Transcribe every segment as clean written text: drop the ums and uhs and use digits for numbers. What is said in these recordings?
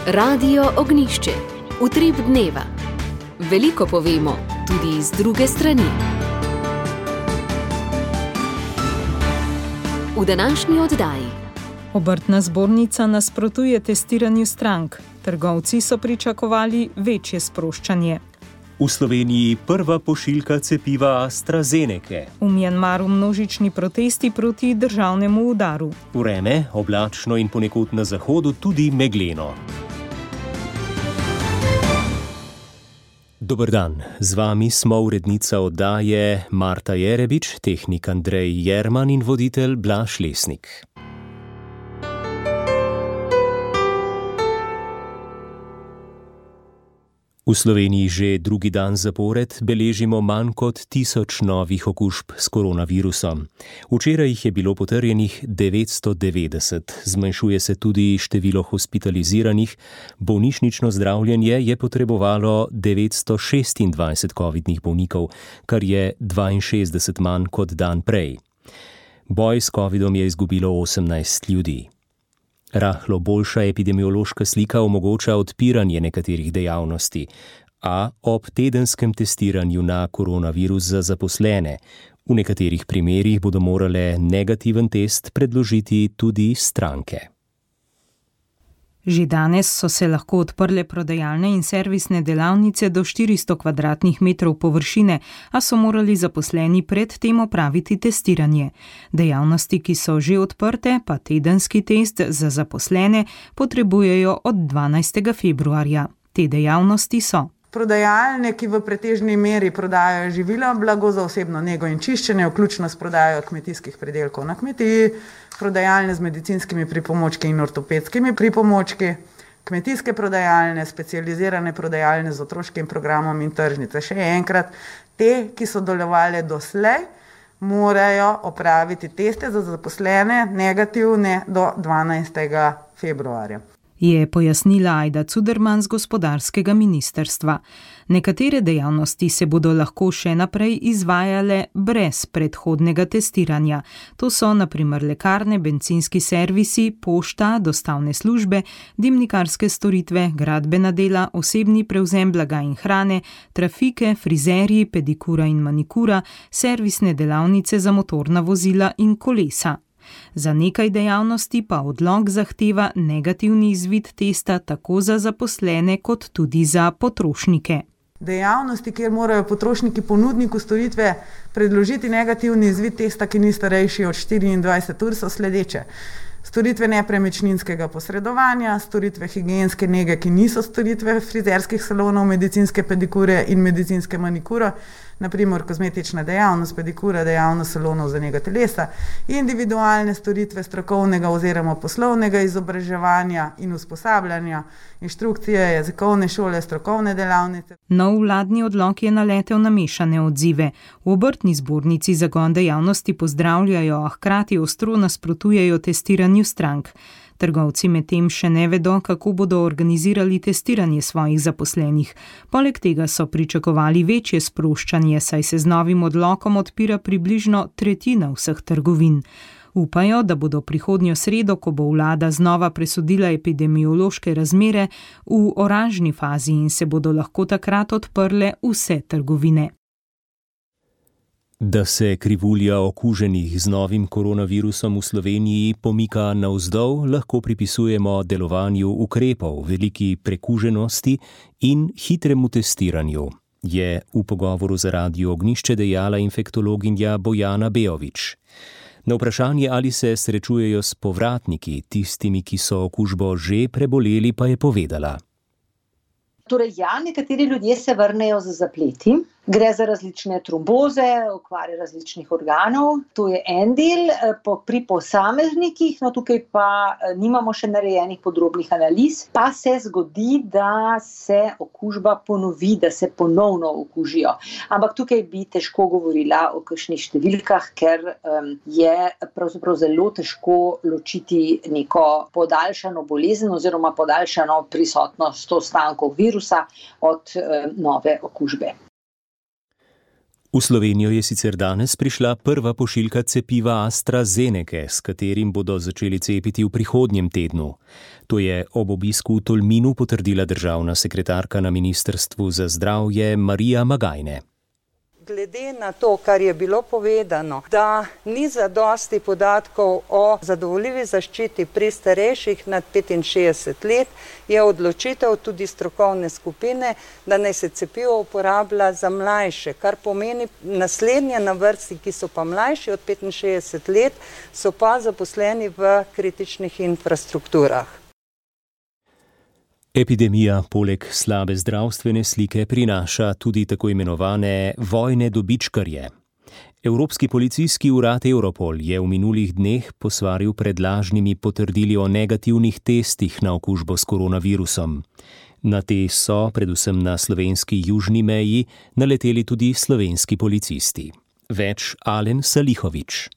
Radio Ognišče, utrip dneva. Veliko povemo, tudi z druge strani. V današnji oddaji. Obrtna zbornica nasprotuje testiranju strank. Trgovci so pričakovali večje sproščanje. V Sloveniji prva pošiljka cepiva AstraZenece. V Mjanmaru množični protesti proti državnemu udaru. Vreme oblačno in ponekod na zahodu tudi megleno. Dober dan, z vami smo urednica oddaje Marta Jerebič, tehnik Andrej Jerman in voditelj Blaž Lesnik. V Sloveniji že drugi dan zapored beležimo manj kot 1000 novih okužb s koronavirusom. Včeraj jih je bilo potrjenih 990, zmanjšuje se tudi število hospitaliziranih, bolnišnično zdravljenje je potrebovalo 926 covidnih bolnikov, kar je 62 manj kot dan prej. Boj s covidom je izgubilo 18 ljudi. Rahlo boljša epidemiološka slika omogoča odpiranje nekaterih dejavnosti, a ob tedenskem testiranju na koronavirus za zaposlene. V nekaterih primerih bodo morale negativen test predložiti tudi stranke. Že danes so se lahko odprle prodajalne in servisne delavnice do 400 kvadratnih metrov površine, a so morali zaposleni pred tem opraviti testiranje. Dejavnosti, ki so že odprte, pa tedenski test za zaposlene potrebujejo od 12. februarja. Te dejavnosti so: prodajalne, ki v pretežni meri prodajajo živila, blago za osebno nego in čiščenje, vključno s prodajo kmetijskih pridelkov na kmetiji, prodajalne z medicinskimi pripomočki in ortopedskimi pripomočki, kmetijske prodajalne, specializirane prodajalne z otroškim programom in tržnice. Še enkrat, te, ki so delovale doslej, morajo opraviti teste za zaposlene negativne do 12. februarja. Je pojasnila Ajda Cuderman z gospodarskega ministrstva. Nekatere dejavnosti se bodo lahko še naprej izvajale brez predhodnega testiranja. To so na primer lekarne, bencinski servisi, pošta, dostavne službe, dimnikarske storitve, gradbena dela, osebni prevzem blaga in hrane, trafike, frizerji, pedikura in manikura, servisne delavnice za motorna vozila in kolesa. Za nekaj dejavnosti pa odlog zahteva negativni izvid testa tako za zaposlene kot tudi za potrošnike. Dejavnosti, kjer morajo potrošniki ponudniku storitve predložiti negativni izvid testa, ki ni starejši od 24 ur, so sledeče: storitve nepremičninskega posredovanja, storitve higienske nege, ki niso storitve frizerskih salonov, medicinske pedikure in medicinske manikure, naprimer kozmetična dejavnost, pedikura, dejavnost salonov za nego telesa, individualne storitve strokovnega oziroma poslovnega izobraževanja in usposabljanja, inštrukcije, jezikovne šole, strokovne delavnice. Nov vladni odlok je naletel na mešane odzive. V obrtni zbornici zagon dejavnosti pozdravljajo, a hkrati ostro nasprotujejo testiranju strank. Trgovci medtem še ne vedo, kako bodo organizirali testiranje svojih zaposlenih. Poleg tega so pričakovali večje sproščanje, saj se z novim odlokom odpira približno tretjina vseh trgovin. Upajo, da bodo prihodnjo sredo, ko bo vlada znova presodila epidemiološke razmere, v oranžni fazi in se bodo lahko takrat odprle vse trgovine. Da se krivulja okuženih z novim koronavirusom v Sloveniji pomika navzdol, lahko pripisujemo delovanju ukrepov, veliki prekuženosti in hitremu testiranju, je v pogovoru za Radio Ognišče dejala infektologinja Bojana Bejovič. Na vprašanje, ali se srečujejo s povratniki, tistimi, ki so okužbo že preboleli, pa je povedala: Torej nekateri ljudje se vrnejo z zapleti. Gre za različne tromboze, okvare različnih organov. To je en del. Pri posameznikih, tukaj pa nimamo še narejenih podrobnih analiz, pa se zgodi, da se okužba ponovi, da se ponovno okužijo. Ampak tukaj bi težko govorila o kakšnih številkah, ker je pravzaprav zelo težko ločiti neko podaljšano bolezen oziroma podaljšano prisotnost ostankov virusa od nove okužbe. V Slovenijo je sicer danes prišla prva pošiljka cepiva AstraZenece, s katerim bodo začeli cepiti v prihodnjem tednu. To je ob obisku v Tolminu potrdila državna sekretarka na Ministrstvu za zdravje Marija Magajne. Glede na to, kar je bilo povedano, da ni zadosti podatkov o zadovoljivi zaščiti pri starejših nad 65 let, je odločitev tudi strokovne skupine, da naj se cepivo uporablja za mlajše, kar pomeni naslednje na vrsti, ki so pa mlajši od 65 let, so pa zaposleni v kritičnih infrastrukturah. Epidemija poleg slabe zdravstvene slike prinaša tudi tako imenovane vojne dobičkarje. Evropski policijski urad Europol je v minulih dneh posvaril pred lažnimi potrdili o negativnih testih na okužbo s koronavirusom. Na te so, predvsem na slovenski južni meji, naleteli tudi slovenski policisti. Več Alen Salihović.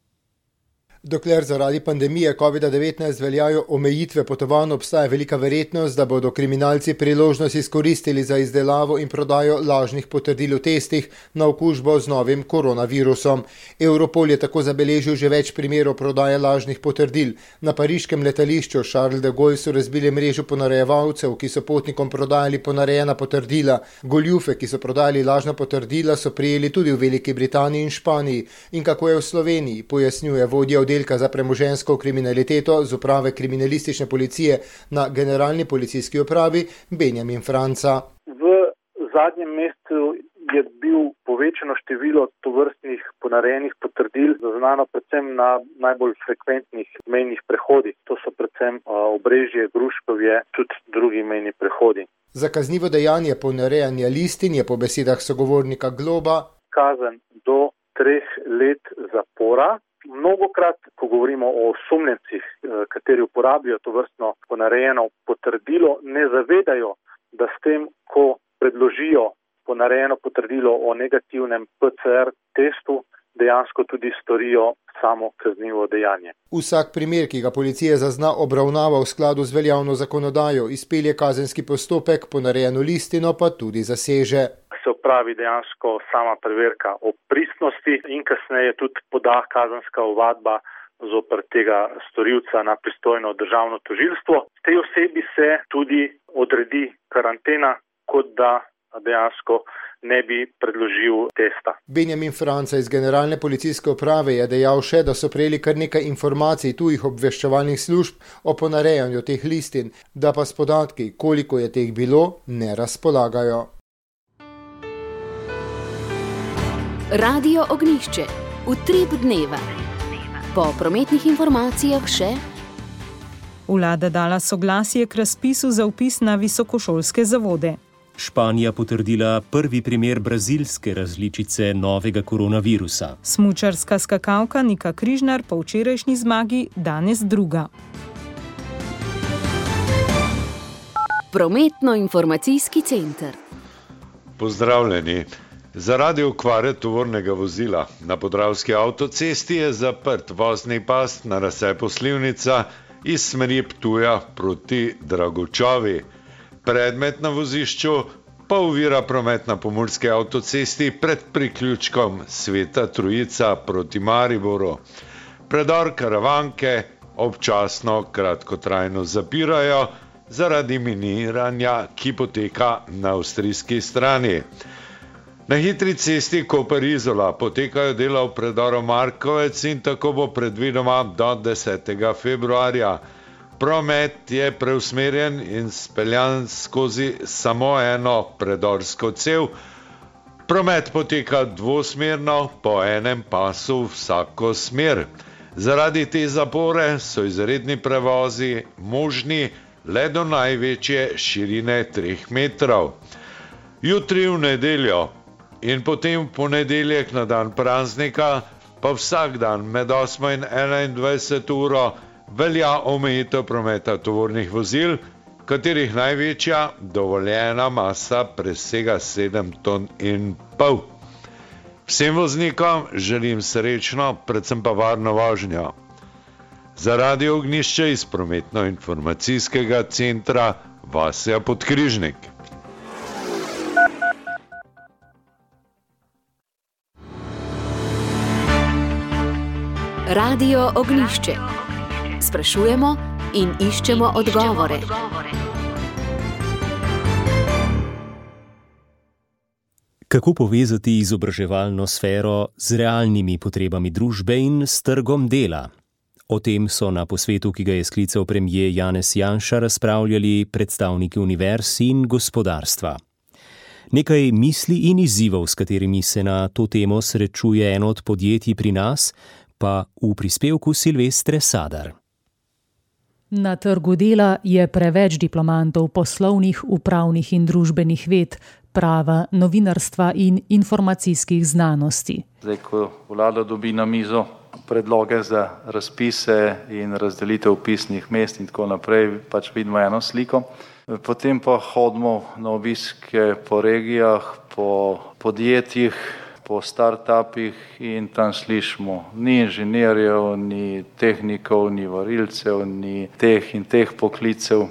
Dokler zaradi pandemije COVID-19 veljajo omejitve potovanj, obstaja velika verjetnost, da bodo kriminalci priložnost izkoristili za izdelavo in prodajo lažnih potrdil o testih na okužbo z novim koronavirusom. Europol je tako zabeležil že več primerov prodaje lažnih potrdil. Na pariškem letališču Charles de Gaulle so razbili mrežo ponarejevalcev, ki so potnikom prodajali ponarejena potrdila. Goljufe, ki so prodajali lažna potrdila, so prijeli tudi v Veliki Britaniji in Španiji. In kako je v Sloveniji, pojasnjuje vodja oddelka za premoženjsko kriminaliteto z uprave kriminalistične policije na Generalni policijski upravi Benjamin Franca. V zadnjem mesecu je bil povečano število tovrstnih ponarejenih potrdil zaznano predvsem na najbolj frekventnih mejnih prehodih. To so predvsem Obrežje, Gruškovje, tudi drugi mejni prehodi. Za kaznivo dejanje ponarejanja listin je po besedah sogovornika Globa kazen do 3 let zapora. Mnogokrat, ko govorimo o osumljencih, kateri uporabljajo tovrstno ponarejeno potrdilo, ne zavedajo, da s tem, ko predložijo ponarejeno potrdilo o negativnem PCR testu, dejansko tudi storijo samo kaznivo dejanje. Vsak primer, ki ga policija zazna, obravnava v skladu z veljavno zakonodajo, izpelje kazenski postopek, ponarejeno listino pa tudi zaseže. Se opravi dejansko sama preverka o pristnosti in kasneje tudi poda kazenska ovadba zoper tega storilca na pristojno državno tožilstvo. Tej osebi se tudi odredi karantena, kot da dejansko ne bi predložil testa. Benjamin Franca iz Generalne policijske uprave je dejal še, da so prejeli kar nekaj informacij tujih obveščevalnih služb o ponarejanju teh listin, da pa s podatki, koliko je teh bilo, ne razpolagajo. Radio Ognjišče. Utrip dneva. Po prometnih informacijah še. Vlada dala soglasje k razpisu za vpis na visokošolske zavode. Španija potrdila prvi primer brazilske različice novega koronavirusa. Smučarska skakalka Nika Križnar po včerajšnji zmagi danes druga. Prometno-informacijski center. Pozdravljeni. Zaradi okvare tovornega vozila na Podravski avtocesti je zaprt vozni pas na razcepu Slivnica iz smeri Ptuja proti Dragočavi. Predmet na vozišču pa ovira promet na Pomurski avtocesti pred priključkom Sveta Trojica proti Mariboru. Predor Karavanke občasno kratkotrajno zapirajo zaradi miniranja, ki poteka na avstrijski strani. Na hitri cesti Koper-Izola potekajo dela v predoru Markovec in tako bo predvidoma do 10. februarja. Promet je preusmerjen in speljan skozi samo eno predorsko cev. Promet poteka dvosmerno po enem pasu vsako smer. Zaradi te zapore so izredni prevozi možni le do največje širine 3 metrov. Jutri v nedeljo in potem v ponedeljek na dan praznika pa vsak dan med 8 in 21 uro velja omejitev prometa tovornih vozil, katerih največja dovoljena masa presega 7,5 ton. Vsem voznikom želim srečno, predvsem pa varno vožnjo. Za Radio Ognjišče iz prometno-informacijskega centra Vasja Podkrižnik. Radio Ognjišče. Sprašujemo in iščemo odgovore. Kako povezati izobraževalno sfero z realnimi potrebami družbe in s trgom dela? O tem so na posvetu, ki ga je sklical premier Janez Janša, razpravljali predstavniki univerz in gospodarstva. Nekaj misli in izzivov, s katerimi se na to temo srečuje eno od podjetij pri nas, pa v prispevku Silvestre Sadar. Na trgu dela je preveč diplomantov poslovnih, upravnih in družbenih ved, prava, novinarstva in informacijskih znanosti. Zdaj, ko vlada dobi na mizo predloge za razpise in razdelitev vpisnih mest in tako naprej, pač vidimo eno sliko. Potem pa hodimo na obiske po regijah, po podjetjih, po startupih in tam slišimo ni inženirjev, ni tehnikov, ni varilcev, ni teh in teh poklicev.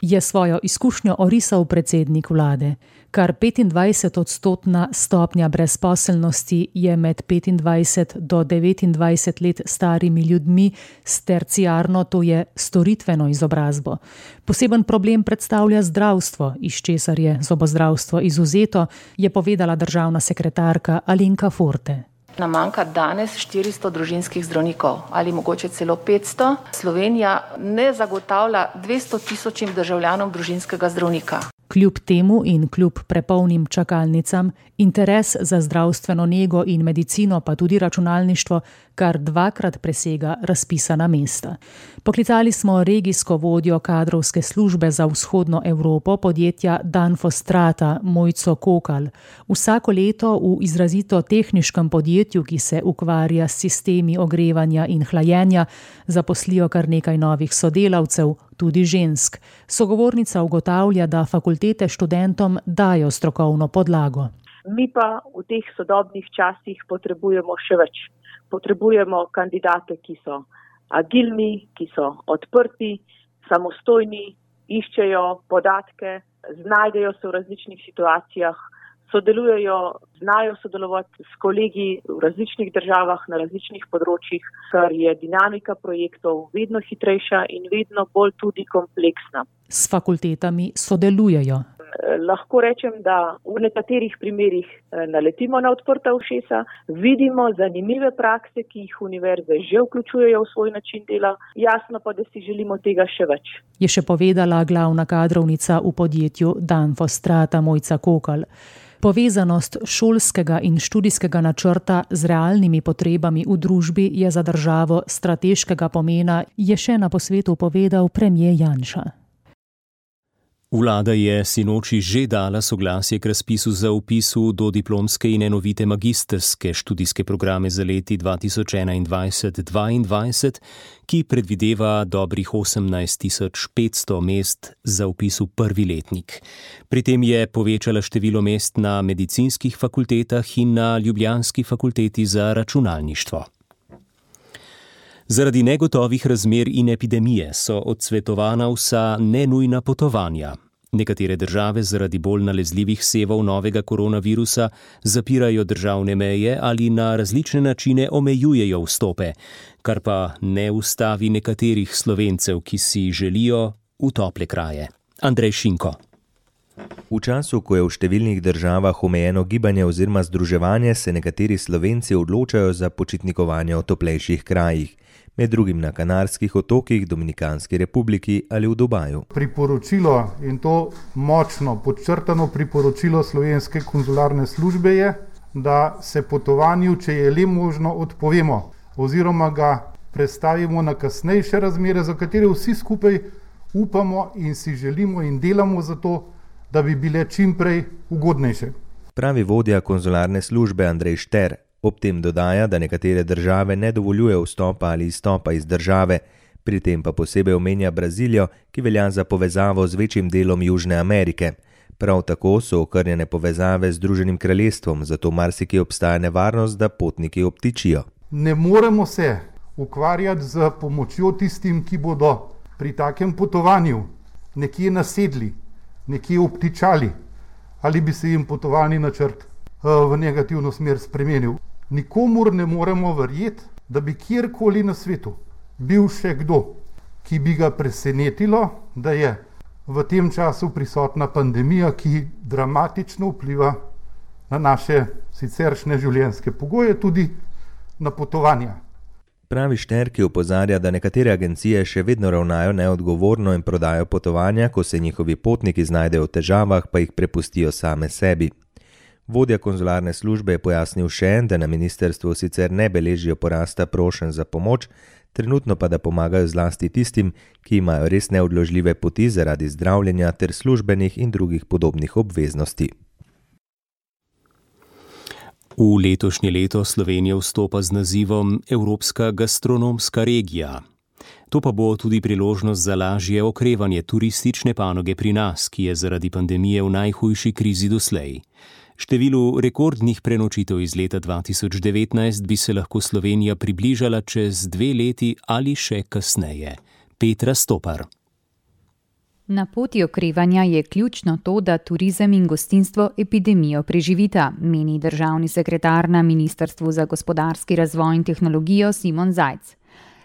Je svojo izkušnjo orisal predsednik vlade. Kar 25% stopnja brezposelnosti je med 25 do 29 let starimi ljudmi s terciarno, to je storitveno izobrazbo. Poseben problem predstavlja zdravstvo, iz česar je zobozdravstvo izvzeto, je povedala državna sekretarka Alenka Forte. Nam manjka danes 400 družinskih zdravnikov ali mogoče celo 500. Slovenija ne zagotavlja 200 000 državljanom družinskega zdravnika. Kljub temu in kljub prepolnim čakalnicam, interes za zdravstveno nego in medicino, pa tudi računalništvo, kar 2-krat presega razpisana mesta. Poklicali smo regijsko vodjo kadrovske službe za vzhodno Evropo podjetja Danfostrata Mojco Kokal. Vsako leto v izrazito tehniškem podjetju, ki se ukvarja s sistemi ogrevanja in hlajenja, zaposlijo kar nekaj novih sodelavcev, tudi žensk. Sogovornica ugotavlja, da fakultete študentom dajo strokovno podlago. Mi pa v teh sodobnih časih potrebujemo še več. Potrebujemo kandidate, ki so agilni, ki so odprti, samostojni, iščejo podatke, znajdejo se v različnih situacijah, sodelujejo, znajo sodelovati s kolegi v različnih državah na različnih področjih, ker je dinamika projektov vedno hitrejša in vedno bolj tudi kompleksna. S fakultetami sodelujejo. Lahko rečem, da v nekaterih primerih naletimo na odprta ušesa, vidimo zanimive prakse, ki jih univerze že vključujejo v svoj način dela, jasno pa, da si želimo tega še več. Je še povedala glavna kadrovnica v podjetju Danfostrata Mojca Kokal. Povezanost šolskega in študijskega načrta z realnimi potrebami v družbi je za državo strateškega pomena, je še na posvetu povedal premier Janša. Vlada je sinoči že dala soglasje k razpisu za vpis v dodiplomske in enovite magistrske študijske programe za leti 2021-2022, ki predvideva dobrih 18.500 mest za vpis v prvi letnik. Pri tem je povečala število mest na medicinskih fakultetah in na ljubljanski fakulteti za računalništvo. Zaradi negotovih razmer in epidemije so odsvetovana vsa nenujna potovanja. Nekatere države zaradi bolj nalezljivih sevov novega koronavirusa zapirajo državne meje ali na različne načine omejujejo vstope, kar pa ne ustavi nekaterih Slovencev, ki si želijo v tople kraje. Andrej Šinko. V času, ko je v številnih državah omejeno gibanje oziroma združevanje, se nekateri Slovenci odločajo za počitnikovanje v toplejših krajih, med drugim na Kanarskih otokih, Dominikanski republiki ali v Dubaju. Priporočilo, in to močno podčrtano priporočilo Slovenske konzularne službe je, da se potovanju, če je le možno, odpovemo oziroma ga prestavimo na kasnejše razmere, za katere vsi skupaj upamo in si želimo in delamo za to, da bi bile čim prej ugodnejše. Pravi vodja konzularne službe Andrej Šter. Ob tem dodaja, da nekatere države ne dovoljujejo vstopa ali izstopa iz države, pri tem pa posebej omenja Brazilijo, ki velja za povezavo z večjim delom Južne Amerike. Prav tako so okrnjene povezave z Združenim kraljestvom, zato marsikje obstaja nevarnost, da potniki obtičijo. Ne moremo se ukvarjati z pomočjo tistim, ki bodo pri takem potovanju nekje nasedli, nekje obtičali, ali bi se jim potovalni načrt v negativno smer spremenil. Nikomur ne moremo verjeti, da bi kjerkoli na svetu bil še kdo, ki bi ga presenetilo, da je v tem času prisotna pandemija, ki dramatično vpliva na naše siceršnje življenjske pogoje, tudi na potovanja. Pravi Šter, ki opozarja, da nekatere agencije še vedno ravnajo neodgovorno in prodajo potovanja, ko se njihovi potniki znajdejo v težavah, pa jih prepustijo same sebi. Vodja konzularne službe je pojasnil še, da na ministrstvu sicer ne beležijo porasta prošenj za pomoč, trenutno pa da pomagajo zlasti tistim, ki imajo res neodložljive poti zaradi zdravljenja ter službenih in drugih podobnih obveznosti. V letošnje leto Slovenija vstopa z nazivom Evropska gastronomska regija. To pa bo tudi priložnost za lažje okrevanje turistične panoge pri nas, ki je zaradi pandemije v najhujši krizi doslej. Številu rekordnih prenočitev iz leta 2019 bi se lahko Slovenija približala čez 2 leti ali še kasneje. Petra Stopar. Na poti okrevanja je ključno to, da turizem in gostinstvo epidemijo preživita, meni državni sekretar na Ministrstvu za gospodarski razvoj in tehnologijo Simon Zajc.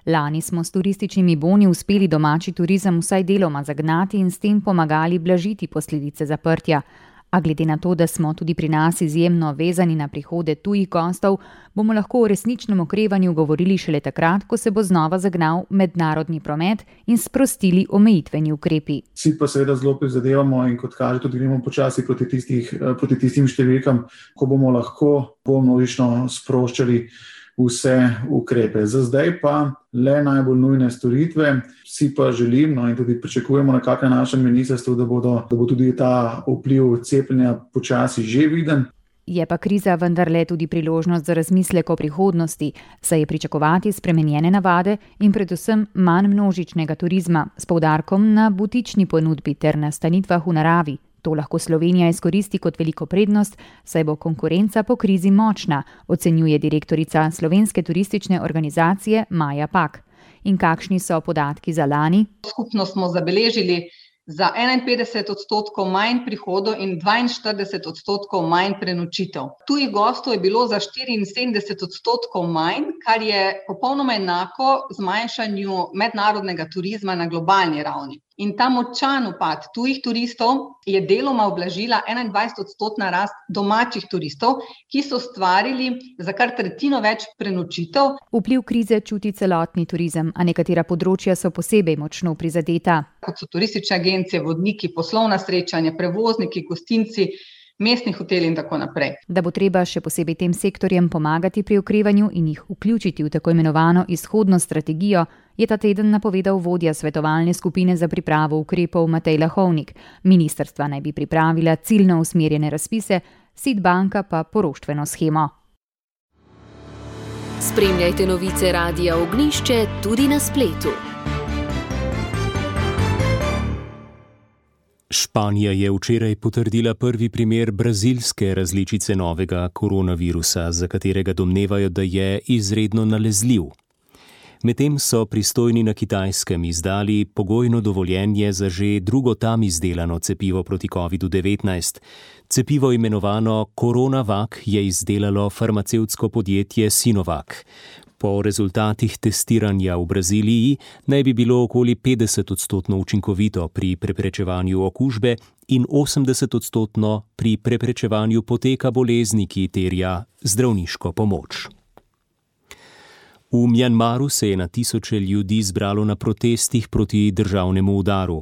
Lani smo s turističnimi boni uspeli domači turizem vsaj deloma zagnati in s tem pomagali blažiti posledice zaprtja. A glede na to, da smo tudi pri nas izjemno vezani na prihode tujih gostov, bomo lahko o resničnem okrevanju govorili šele takrat, ko se bo znova zagnal mednarodni promet in sprostili omejitveni ukrepi. Vsi pa seveda zelo prizadevamo in kot kaže tudi gremo počasi proti tistim številkam, ko bomo lahko bolj množično sproščali vse ukrepe. Za zdaj pa le najbolj nujne storitve. Vsi pa želimo in tudi pričakujemo nekako na našem ministrstvu, da bo tudi ta vpliv cepljenja počasi že viden. Je pa kriza vendarle tudi priložnost za razmislek o prihodnosti, saj je pričakovati spremenjene navade in predvsem manj množičnega turizma s poudarkom na butični ponudbi ter nastanitvah v naravi. To lahko Slovenija izkoristi kot veliko prednost, saj bo konkurenca po krizi močna, ocenjuje direktorica Slovenske turistične organizacije Maja Pak. In kakšni so podatki za lani? Skupno smo zabeležili za 51% manj prihodov in 42% manj prenočitev. Tujih gostov je bilo za 74% manj, kar je popolnoma enako zmanjšanju mednarodnega turizma na globalni ravni. In ta močan upad tujih turistov je deloma ublažila 21% rast domačih turistov, ki so ustvarili za kar tretjino več prenočitev. Vpliv krize čuti celotni turizem, a nekatera področja so posebej močno prizadeta. Kot so turistične agencije, vodniki, poslovna srečanja, prevozniki, gostinci, mestni hoteli in tako naprej. Da bo treba še posebej tem sektorjem pomagati pri okrevanju in jih vključiti v tako imenovano izhodno strategijo, je ta teden napovedal vodja svetovalne skupine za pripravo ukrepov Matej Lahovnik. Ministrstva naj bi pripravila ciljno usmerjene razpise, SID banka pa poroštveno shemo. Spremljajte novice Radia Ognjišče tudi na spletu. Španija je včeraj potrdila prvi primer brazilske različice novega koronavirusa, za katerega domnevajo, da je izredno nalezljiv. Medtem so pristojni na Kitajskem izdali pogojno dovoljenje za že drugo tam izdelano cepivo proti COVID-19. Cepivo imenovano CoronaVac je izdelalo farmacevtsko podjetje Sinovac. Po rezultatih testiranja v Braziliji naj bi bilo okoli 50% učinkovito pri preprečevanju okužbe in 80% pri preprečevanju poteka bolezni, ki terja zdravniško pomoč. V Mjanmaru se je na tisoče ljudi zbralo na protestih proti državnemu udaru.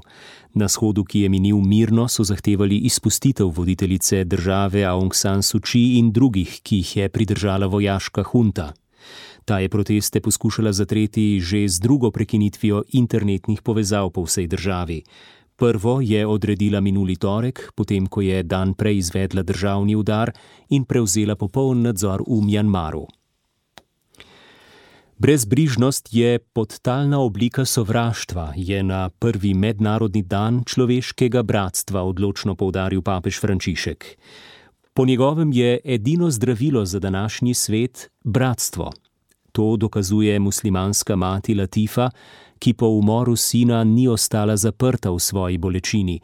Na shodu, ki je minil mirno, so zahtevali izpustitev voditeljice države Aung San Suu Kyi in drugih, ki jih je pridržala vojaška hunta. Ta je proteste poskušala zatreti že z drugo prekinitvijo internetnih povezav po vsej državi. Prvo je odredila minuli torek, potem ko je dan prej izvedla državni udar in prevzela popoln nadzor v Mjanmaru. Brezbrižnost je podtalna oblika sovraštva, je na prvi mednarodni dan človeškega bratstva odločno poudaril papež Frančišek. Po njegovem je edino zdravilo za današnji svet bratstvo. To dokazuje muslimanska mati Latifa, ki po umoru sina ni ostala zaprta v svoji bolečini,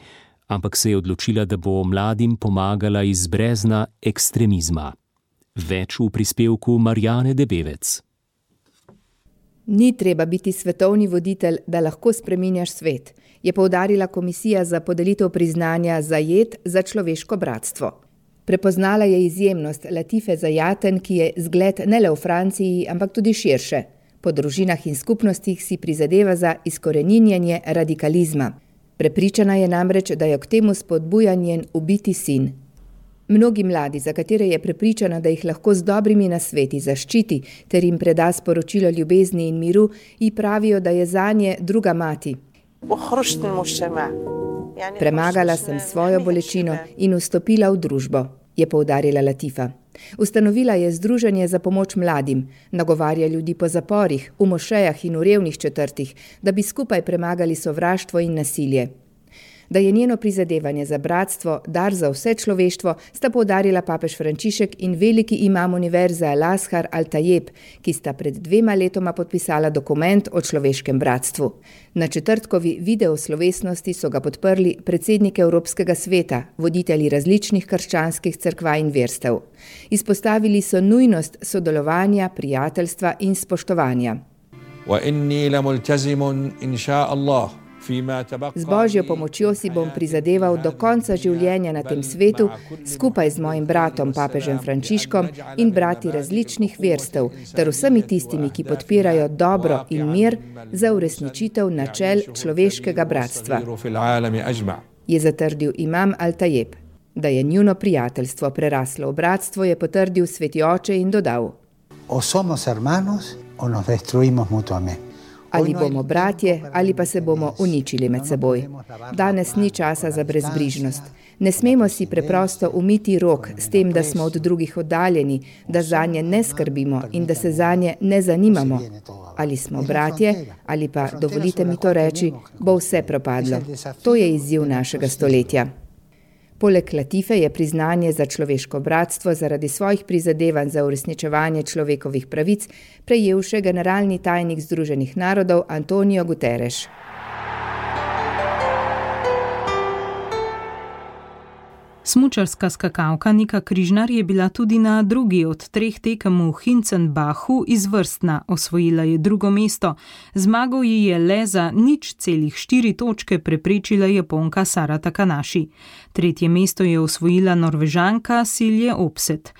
ampak se je odločila, da bo mladim pomagala iz brezna ekstremizma. Več v prispevku Marjane Debevec. Ni treba biti svetovni voditelj, da lahko spreminjaš svet, je poudarila Komisija za podelitev priznanja Zayed za človeško bratstvo. Prepoznala je izjemnost Latife Zayaten, ki je zgled ne le v Franciji, ampak tudi širše. Po družinah in skupnostih si prizadeva za izkoreninjenje radikalizma. Prepričana je namreč, da jo k temu spodbuja njen ubiti sin. Mnogi mladi, za katere je prepričana, da jih lahko z dobrimi nasveti zaščiti ter jim preda sporočilo ljubezni in miru, ji pravijo, da je zanje druga mati. Premagala sem svojo bolečino in vstopila v družbo, je poudarila Latifa. Ustanovila je združenje za pomoč mladim, nagovarja ljudi po zaporih, v mošejah in v revnih četrtih, da bi skupaj premagali sovraštvo in nasilje. Da je njeno prizadevanje za bratstvo dar za vse človeštvo, sta poudarila papež Frančišek in veliki imam univerze Al-Azhar Al-Tajeb, ki sta pred 2 letoma podpisala dokument o človeškem bratstvu. Na četrtkovi video slovesnosti so ga podprli predsednik Evropskega sveta, voditelji različnih krščanskih cerkva in verstev. Izpostavili so nujnost sodelovanja, prijateljstva in spoštovanja. Z Božjo pomočjo si bom prizadeval do konca življenja na tem svetu, skupaj z mojim bratom, papežem Frančiškom in brati različnih verstev, ter vsemi tistimi, ki podpirajo dobro in mir za uresničitev načel človeškega bratstva, je zatrdil imam Al-Tajeb. Da je njuno prijateljstvo preraslo v bratstvo, je potrdil sveti oče in dodal: O somos hermanos o nos destruimos mutuamente. Ali bomo bratje, ali pa se bomo uničili med seboj. Danes ni časa za brezbrižnost. Ne smemo si preprosto umiti rok s tem, da smo od drugih oddaljeni, da zanje ne skrbimo in da se zanje ne zanimamo. Ali smo bratje, ali pa, dovolite mi to reči, bo vse propadlo. To je izziv našega stoletja. Poleg Latife je priznanje za človeško bratstvo zaradi svojih prizadevanj za uresničevanje človekovih pravic prejel še generalni tajnik Združenih narodov Antonio Guterres. Smučarska skakalka Nika Križnar je bila tudi na drugi od 3 tekem v Hinzenbachu izvrstna, osvojila je 2. mesto. Zmago ji je le za 0,4 točke preprečila Japonka Sara Takanashi. 3. mesto je osvojila Norvežanka Silje Opset.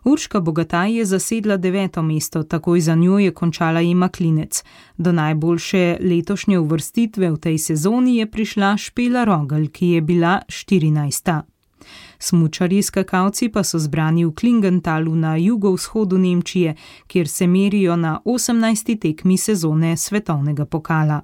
Urška Bogataj je zasedla 9. mesto, takoj za njo je končala Ema Klinec. Do najboljše letošnje uvrstitve v tej sezoni je prišla Špela Rogel, ki je bila 14. Smučarji skakalci pa so zbrani v Klingentalu na jugovzhodu Nemčije, kjer se merijo na 18. tekmi sezone svetovnega pokala.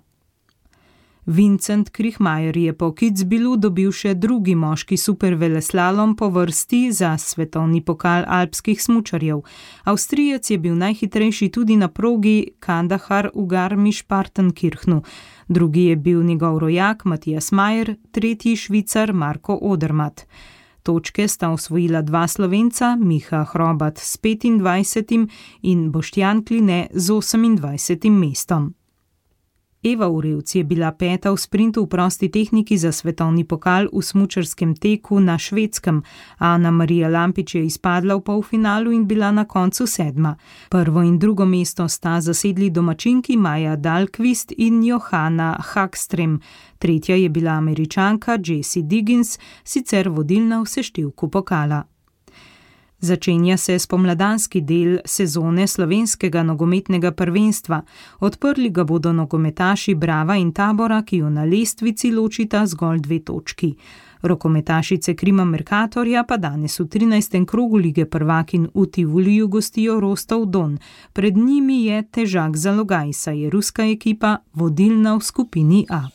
Vincent Krihmajer je po Kitzbühelu dobil še 2. moški superveleslalom po vrsti za svetovni pokal alpskih smučarjev. Avstrijec je bil najhitrejši tudi na progi Kandahar v Garmisch-Partenkirchnu. Drugi je bil njegov rojak Matijas Majer, 3. Švicar Marko Odermatt. Točke sta osvojila 2 Slovenca, Miha Hrobat s 25. in Boštjan Kline z 28. mestom. Eva Urevc je bila 5. v sprintu v prosti tehniki za svetovni pokal v smučarskem teku na Švedskem. Ana Marija Lampič je izpadla v polfinalu in bila na koncu 7. Prvo in drugo mesto sta zasedli domačinki Maja Dahlqvist in Johanna Hagström. 3. je bila Američanka Jessie Diggins, sicer vodilna v seštevku pokala. Začenja se spomladanski del sezone slovenskega nogometnega prvenstva. Odprli ga bodo nogometaši Brava in Tabora, ki jo na lestvici ločita zgolj 2 točki. Rokometašice Krima Mercatorja pa danes v 13. krogu lige prvakinj v Tivuliju gostijo Rostov Don. Pred njimi je težak zalogaj, saj je ruska ekipa vodilna v skupini A.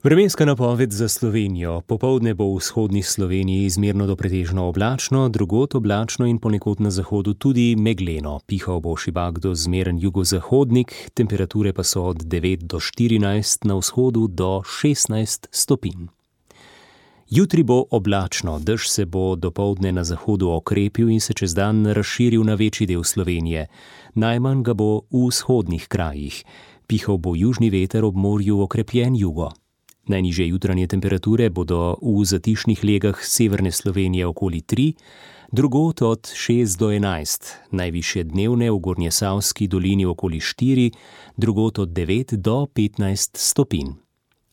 Vremenska napoved za Slovenijo. Popoldne bo v vzhodni Sloveniji izmerno do pretežno oblačno, drugod oblačno in ponekod na zahodu tudi megleno. Pihal bo šibak do zmeren jugozahodnik, temperature pa so od 9 do 14, na vzhodu do 16 stopinj. Jutri bo oblačno, dež se bo dopoldne na zahodu okrepil in se čez dan razširil na večji del Slovenije. Najmanj ga bo v vzhodnih krajih. Pihal bo južni veter, ob morju okrepljen jugo. Najnižje jutranje temperature bodo v zatišnih legah severne Slovenije okoli 3, drugod od 6 do 11, najvišje dnevne v Gornjesavski dolini okoli 4, drugod od 9 do 15 stopinj.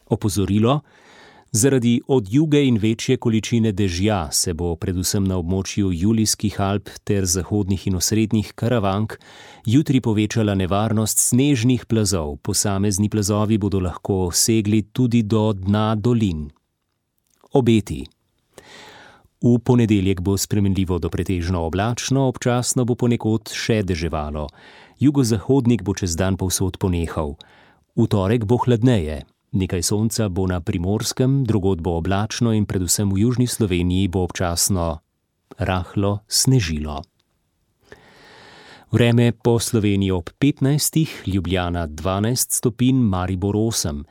Opozorilo: zaradi odjuge in večje količine dežja se bo predvsem na območju Julijskih Alp ter zahodnih in osrednjih Karavank jutri povečala nevarnost snežnih plazov. Posamezni plazovi bodo lahko segli tudi do dna dolin. Obeti. V ponedeljek bo spremenljivo do pretežno oblačno, občasno bo ponekod še deževalo. Jugozahodnik bo čez dan povsod ponehal. V torek bo hladneje. Nekaj sonca bo na Primorskem, drugod bo oblačno in predvsem v južni Sloveniji bo občasno rahlo snežilo. Vreme po Sloveniji ob 15, Ljubljana 12 stopinj, Maribor 8,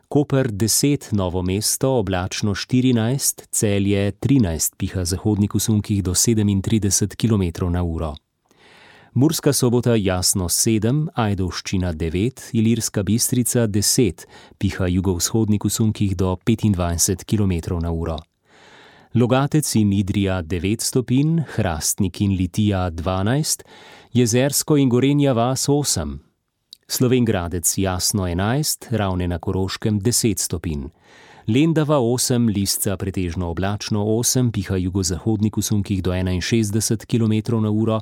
Koper 10, Novo mesto oblačno 14, Celje 13, piha zahodnik v sunkih do 37 km/h. Murska Sobota jasno 7, Ajdovščina 9, Ilirska Bistrica 10, piha jugovzhodnik v sunkih do 25 km/h. Logatec in Idrija 9 stopinj, Hrastnik in Litija 12, Jezersko in Gorenja vas 8. Slovenj Gradec jasno 11, Ravne na Koroškem 10 stopinj. Lendava 8, Lisca pretežno oblačno 8, piha jugozahodnik v sunkih do 61 km/h.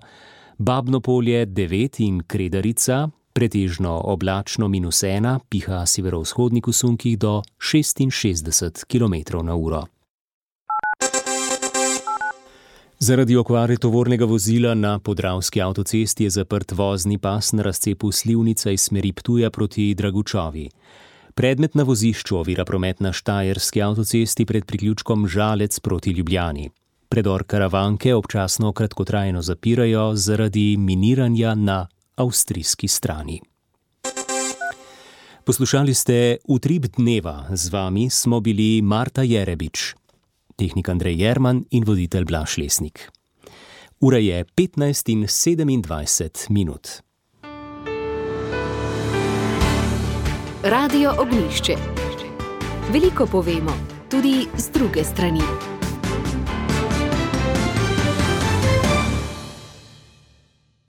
Babno Polje 9 in Kredarica, pretežno oblačno -1, piha severovzhodnik v sunkih do 66 km/h. Zaradi okvare tovornega vozila na Podravski avtocesti je zaprt vozni pas na razcepu Slivnica iz smeri Ptuja proti Dragučovi. Predmet na vozišču ovira promet na Štajerski avtocesti pred priključkom Žalec proti Ljubljani. Predor Karavanke občasno kratkotrajno zapirajo zaradi miniranja na avstrijski strani. Poslušali ste Utrip dneva, z vami smo bili Marta Jerebič, tehnik Andrej Jerman in voditelj Blaž Lesnik. Ura je 15:27. Radio Ognjišče. Veliko povemo, tudi z druge strani.